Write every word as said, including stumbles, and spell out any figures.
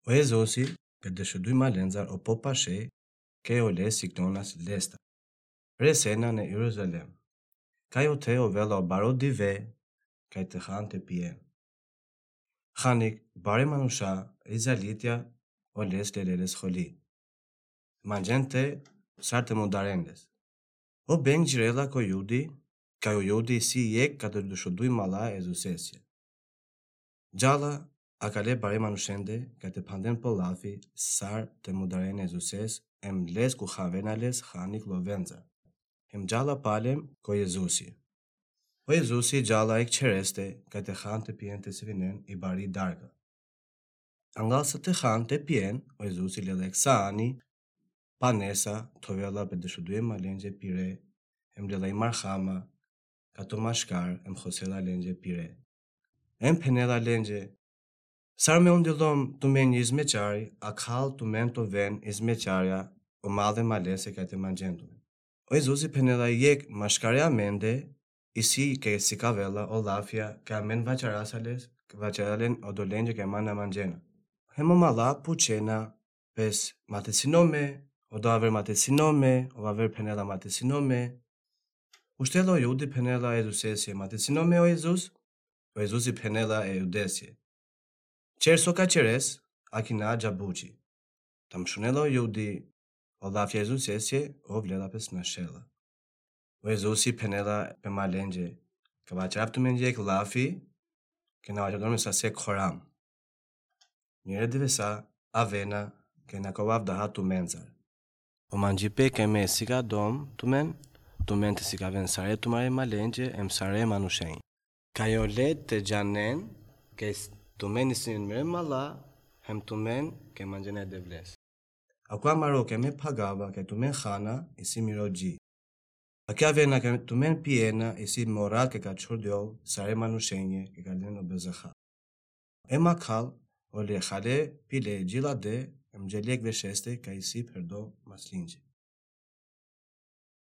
O Jezusi, pe dešuduj malencar o popaše, kaj ole siknonas lesta. Resena ne Jeruzalem. Kaj ote ovela o baro dive, kaj te han te pien. Hanik bare manuša i zalitja, oles lele les holi. Manđen te, sar te mudaren les. O beng džirela ko Judi, kaj o Judi isi jekh kaj te dešuduj mala e Jezuseske. Džala akale bare manušende, kaj te phanden po lafi, sar te mudaren e Jezuses, em les ku havena les hanik lovenca. Em džala palem ko Jezusi. O Jezusi džala jekh čhereste, kaj te han te pien te svinen i bari darka. Anglal sa te han te pien, o Jezusi lela jekh saani, panesa, te ovela pe dešuduje malenđe pire, em lela i marhama, kaj to maškar, em hosela lenđe pire. Em phenela lenđe, sar me undilom tumen izmećari, akhal tumen te oven izmećarja, o male malese kaj te manđen tumen. O Jezusi phenela jekh maškare amende, isi kaj sikavela o lafja, kaj amen vaćarasa les, vaćaralen odolenđe kaj man na manđena. Hem o mala pučena, pes matesinome, odo aver matesinome, o aver phenela matesinome. Uštela o Judi phenela e Jezuseske matesinome o Jezus, o Jezusi phenela e Judeske. Čer so ka čeres, akina džabuči. Tam šunela o Judi o lafja e Jezuseske, ov lela pes našela. O Jezusi phenela pe malenđe, ka vaćarav tumen jekh lafi, kaj na vaćardom sa se khoram. Njere divesa avena, kaj na ka ovav daha tumencar. O manđipe kaj me sikadom tumen, tumen te sikaven sare tumare malenđe, em sare manušenđe. Kaj ole te džanen, kaj s-, tumen isin mere mala, hem tumen kaj manđena e Devles. Akava maro kaj me phagava, kaj tumen hana, isi miro dži. Akava avena kaj tumen piena, isi mora kaj ka čhordjol sare manušenđe, kaj ka len o bezaha. Em akhal, ole hale, pile džilade, em džele jekh vešeste, kaj isi pherdo maslinđe.